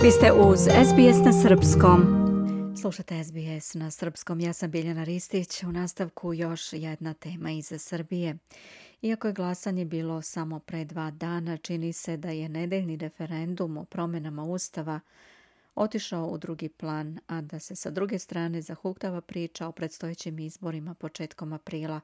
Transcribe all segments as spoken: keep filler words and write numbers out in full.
Vi ste uz S B S na srpskom. Slušate S B S na srpskom. Ja sam Biljana Ristić. U nastavku još jedna tema iz Srbije. Iako je glasanje bilo samo pre dva dana, čini se da je nedeljni referendum o promjenama Ustava otišao u drugi plan, a da se sa druge strane zahuktava priča o predstojećim izborima početkom aprila.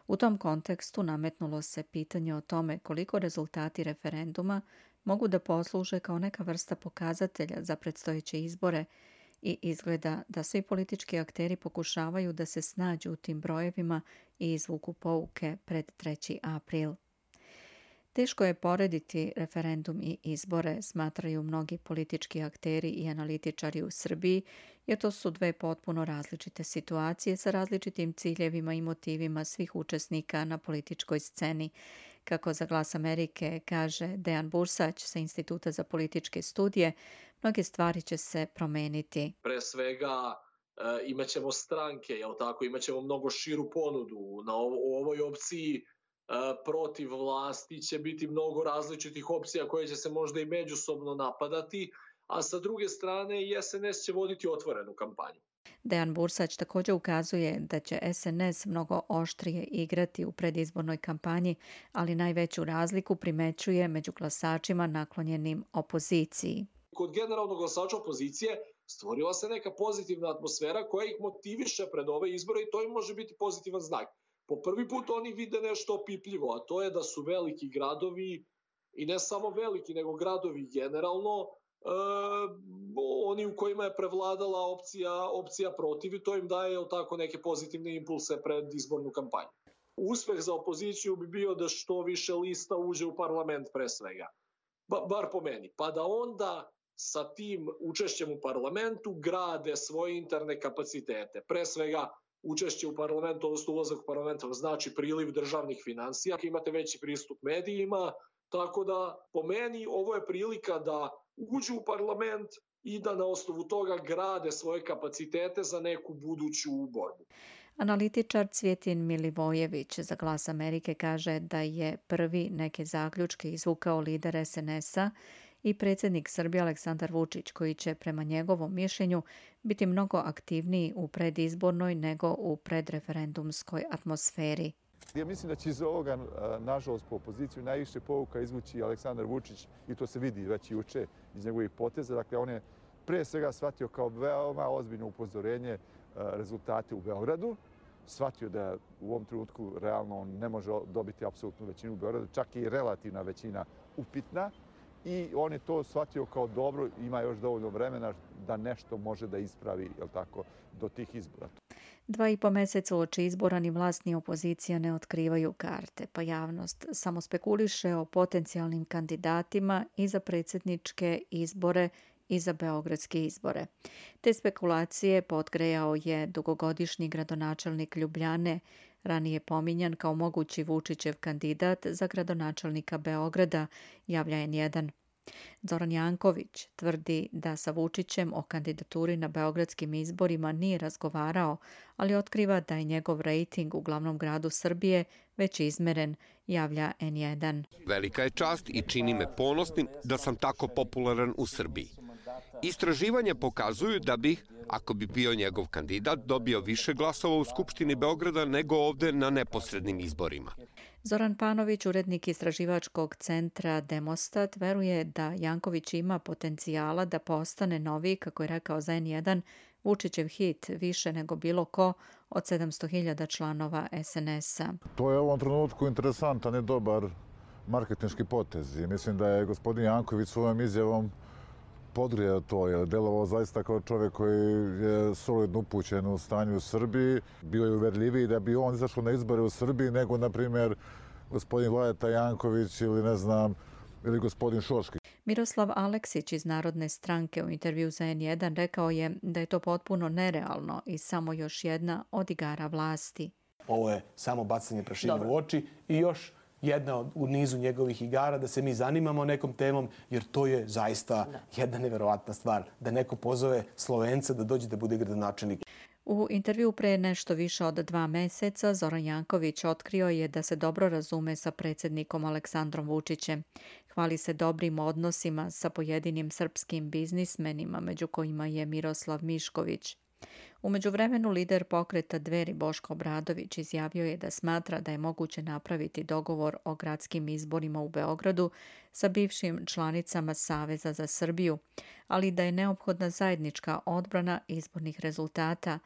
U tom kontekstu nametnulo se pitanje o tome koliko rezultati referenduma mogu da posluže kao neka vrsta pokazatelja za predstojeće izbore i izgleda da svi politički akteri pokušavaju da se snađu u tim brojevima i izvuku pouke pred treći april. Teško je porediti referendum i izbore, smatraju mnogi politički akteri i analitičari u Srbiji, jer to su dve potpuno različite situacije sa različitim ciljevima i motivima svih učesnika na političkoj sceni. Kako za Glas Amerike kaže Dejan Bursać sa Instituta za političke studije, mnoge stvari će se promeniti. Pre svega e, imaćemo stranke, jel tako, imaćemo mnogo širu ponudu. Na ovo, u ovoj opciji e, protiv vlasti će biti mnogo različitih opcija koje će se možda i međusobno napadati, a sa druge strane i S N S će voditi otvorenu kampanju. Dejan Bursać također ukazuje da će S N S mnogo oštrije igrati u predizbornoj kampanji, ali najveću razliku primećuje među glasačima naklonjenim opoziciji. Kod generalnog glasača opozicije stvorila se neka pozitivna atmosfera koja ih motiviše pred ove izbore i to im može biti pozitivan znak. Po prvi put oni vide nešto opipljivo, a to je da su veliki gradovi, i ne samo veliki, nego gradovi generalno, E, oni u kojima je prevladala opcija, opcija protiv i to im daje tako neke pozitivne impulse pred izbornu kampanju. Uspeh za opoziciju bi bio da što više lista uđe u parlament pre svega, ba, bar po meni, pa da onda sa tim učešćem u parlamentu grade svoje interne kapacitete. Pre svega učešće u parlamentu, odnosno ulazak u parlament znači priliv državnih finansija, imate veći pristup medijima, tako da po meni ovo je prilika da uđu u parlament i da na osnovu toga grade svoje kapacitete za neku buduću borbu. Analitičar Cvjetin Milivojević za Glas Amerike kaže da je prvi neke zaključke izvukao lider S N S-a i predsjednik Srbije Aleksandar Vučić, koji će prema njegovom mišljenju biti mnogo aktivniji u predizbornoj nego u predreferendumskoj atmosferi. Ja mislim da će iz ovoga, nažalost, po opoziciju najviše povuka izvući Aleksandar Vučić i to se vidi već juče iz njegovih poteza. Dakle, on je pre svega shvatio kao veoma ozbiljno upozorenje rezultate u Beogradu. Shvatio da u ovom trenutku realno on ne može dobiti apsolutnu većinu u Beogradu, čak i relativna većina upitna. I on je to shvatio kao dobro, ima još dovoljno vremena da nešto može da ispravi, jel tako, do tih izbora. Dva i po meseca uoči izbora ni vlast ni opozicija ne otkrivaju karte, pa javnost samo spekuliše o potencijalnim kandidatima i za predsjedničke izbore i za beogradske izbore. Te spekulacije potgrejao je dugogodišnji gradonačelnik Ljubljane, ranije pominjan kao mogući Vučićev kandidat za gradonačelnika Beograda, javlja N jedan. Zoran Janković tvrdi da sa Vučićem o kandidaturi na beogradskim izborima nije razgovarao, ali otkriva da je njegov rejting u glavnom gradu Srbije već izmeren, javlja N jedan. Velika je čast i čini me ponosnim da sam tako popularan u Srbiji. Istraživanja pokazuju da bih, ako bi bio njegov kandidat, dobio više glasova u Skupštini Beograda nego ovde na neposrednim izborima. Zoran Panović, urednik istraživačkog centra Demostat, veruje da Janković ima potencijala da postane novi, kako je rekao za N jedan, Vučićev hit više nego bilo ko od sedamsto hiljada članova S N S-a. To je u ovom trenutku interesantan i dobar marketinški potez. I mislim da je gospodin Janković svojom izjavom podgrija to, jer je delovao zaista kao čovjek koji je solidno upućen u stanju u Srbiji. Bio je uverljiviji da bi on izašao na izbore u Srbiji nego, na primjer, gospodin Vladeta Janković ili, ne znam, ili gospodin Šoški. Miroslav Aleksić iz Narodne stranke u intervju za N jedan rekao je da je to potpuno nerealno i samo još jedna od igara vlasti. Ovo je samo bacanje prašine u oči i još jedna u nizu njegovih igara da se mi zanimamo nekom temom, jer to je zaista jedna neverovatna stvar. Da neko pozove Slovenca da dođe da bude gradonačelnik. U intervju pre nešto više od dva meseca Zoran Janković otkrio je da se dobro razume sa predsjednikom Aleksandrom Vučićem. Hvali se dobrim odnosima sa pojedinim srpskim biznismenima, među kojima je Miroslav Mišković. U međuvremenu lider pokreta Dveri Boško Obradović izjavio je da smatra da je moguće napraviti dogovor o gradskim izborima u Beogradu sa bivšim članicama Saveza za Srbiju, ali da je neophodna zajednička odbrana izbornih rezultata.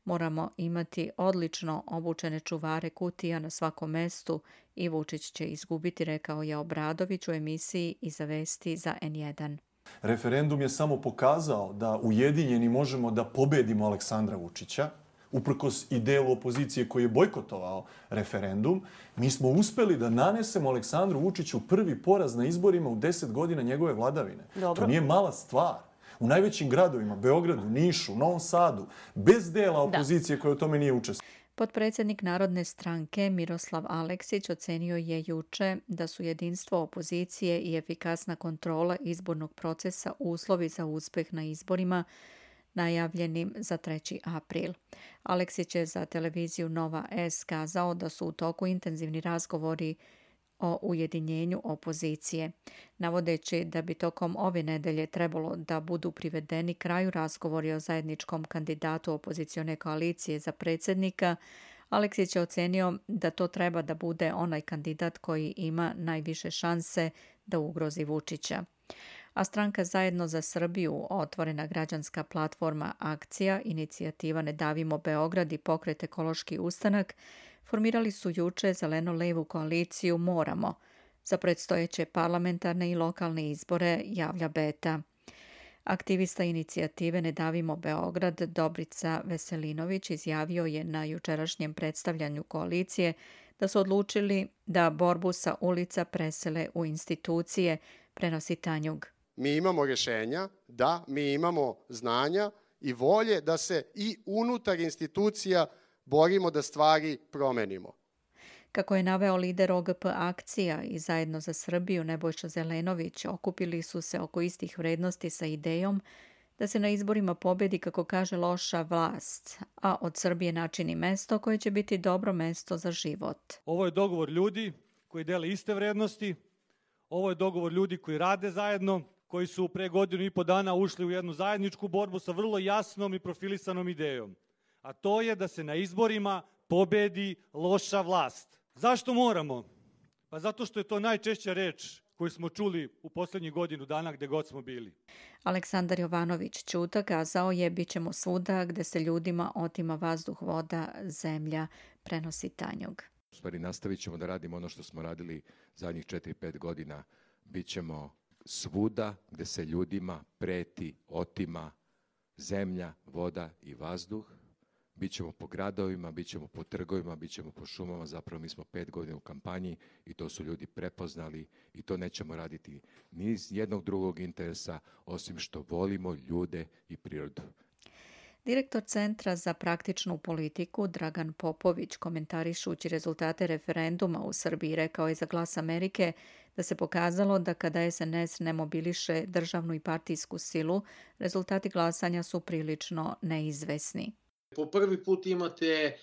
Moramo imati odlično obučene čuvare kutija na svakom mestu i Vučić će izgubiti, rekao je Obradović u emisiji Iza vesti za en jedan. Referendum je samo pokazao da ujedinjeni možemo da pobedimo Aleksandra Vučića, uprkos i delu opozicije koji je bojkotovao referendum. Mi smo uspeli da nanesemo Aleksandru Vučiću prvi poraz na izborima u deset godina njegove vladavine. Dobro. To nije mala stvar. U najvećim gradovima, Beogradu, Nišu, Novom Sadu, bez dela opozicije da. koja u tome nije učestvovala. Potpredsjednik Narodne stranke Miroslav Aleksić ocenio je juče da su jedinstvo opozicije i efikasna kontrola izbornog procesa uslovi za uspeh na izborima najavljenim za treći april. Aleksić je za televiziju Nova S kazao da su u toku intenzivni razgovori o ujedinjenju opozicije, navodeći da bi tokom ove nedelje trebalo da budu privedeni kraju razgovori o zajedničkom kandidatu opozicione koalicije za predsjednika. Aleksić je ocenio da to treba da bude onaj kandidat koji ima najviše šanse da ugrozi Vučića. A stranka Zajedno za Srbiju, otvorena građanska platforma Akcija, inicijativa Ne davimo Beograd i pokret Ekološki ustanak formirali su juče zeleno-levu koaliciju Moramo za predstojeće parlamentarne i lokalne izbore, javlja Beta. Aktivista inicijative Ne davimo Beograd Dobrica Veselinović izjavio je na jučerašnjem predstavljanju koalicije da su odlučili da borbu sa ulica presele u institucije, prenosi Tanjug. Mi imamo rješenja, da, mi imamo znanja i volje da se i unutar institucija borimo da stvari promenimo. Kako je naveo lider O G P Akcija i Zajedno za Srbiju Nebojša Zelenović, okupili su se oko istih vrednosti sa idejom da se na izborima pobedi, kako kaže, loša vlast, a od Srbije načini mesto koje će biti dobro mesto za život. Ovo je dogovor ljudi koji dele iste vrednosti, ovo je dogovor ljudi koji rade zajedno, koji su pre godinu i po dana ušli u jednu zajedničku borbu sa vrlo jasnom i profilisanom idejom. A to je da se na izborima pobedi loša vlast. Zašto moramo? Pa zato što je to najčešća reč koju smo čuli u posljednjih godinu dana gde god smo bili. Aleksandar Jovanović Ćuta kazao je bit ćemo svuda gde se ljudima otima vazduh, voda, zemlja, prenosi Tanjug. U stvari nastavit ćemo da radimo ono što smo radili zadnjih četiri pet godina. Bićemo svuda gde se ljudima preti, otima zemlja, voda i vazduh. Bićemo po gradovima, bićemo po trgovima, bićemo po šumama. Zapravo mi smo pet godina u kampanji i to su ljudi prepoznali i to nećemo raditi ni iz jednog drugog interesa osim što volimo ljude i prirodu. Direktor Centra za praktičnu politiku Dragan Popović, komentarišući rezultate referenduma u Srbiji, rekao je za Glas Amerike da se pokazalo da kada es en es ne mobiliše državnu i partijsku silu, rezultati glasanja su prilično neizvesni. Po prvi put imate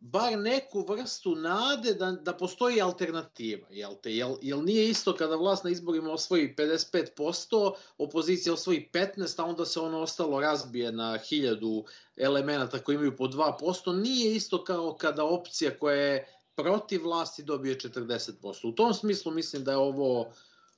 bar neku vrstu nade da, da postoji alternativa. Jel te? Jel, jel nije isto kada vlast na izborima osvoji pedeset pet posto, opozicija osvoji petnaest posto, a onda se ono ostalo razbije na hiljadu elemenata koji imaju po dva posto. Nije isto kao kada opcija koja je protiv vlasti dobije četrdeset posto. U tom smislu mislim da je ovo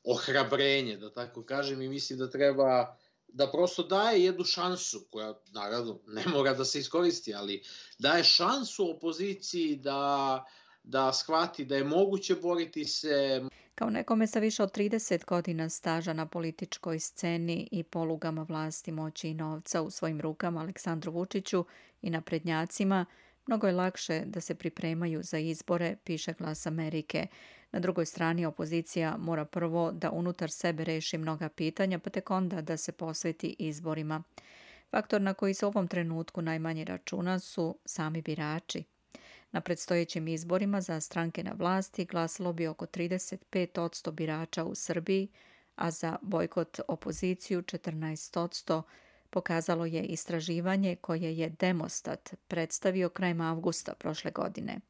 ohrabrenje, da tako kažem, i mislim da treba da prosto daje jednu šansu, koja naravno ne mora da se iskoristi, ali daje šansu opoziciji da, da shvati da je moguće boriti se. Kao nekome sa više od trideset godina staža na političkoj sceni i polugama vlasti, moći i novca u svojim rukama Aleksandru Vučiću i naprednjacima, mnogo je lakše da se pripremaju za izbore, piše Glas Amerike. Na drugoj strani opozicija mora prvo da unutar sebe reši mnoga pitanja, pa tek onda da se posveti izborima. Faktor na koji se u ovom trenutku najmanje računa su sami birači. Na predstojećim izborima za stranke na vlasti glasalo bi oko trideset pet posto birača u Srbiji, a za bojkot opoziciju četrnaest posto, pokazalo je istraživanje koje je Demostat predstavio krajem avgusta prošle godine.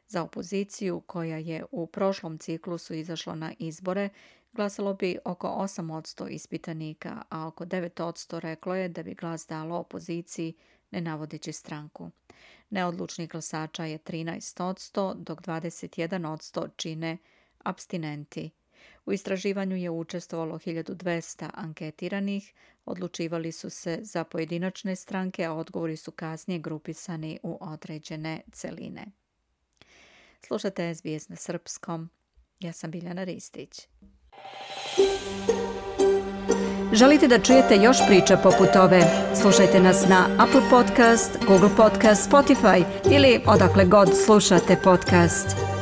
Za opoziciju, koja je u prošlom ciklusu izašla na izbore, Glasalo bi oko osam posto ispitanika, a oko devet posto reklo je da bi glas dalo opoziciji, ne navodeći stranku. Neodlučnih glasača je trinaest posto, dok dvadeset jedan posto čine apstinenti. U istraživanju je učestvovalo hiljadu dvesta anketiranih, odlučivali su se za pojedinačne stranke, a odgovori su kasnije grupisani u određene celine. Slušate S B S na srpskom. Ja sam Biljana Ristić. Želite da čujete još priča poput ove? Slušajte nas na Apple Podcast, Google Podcast, Spotify ili odakle god slušate podcast.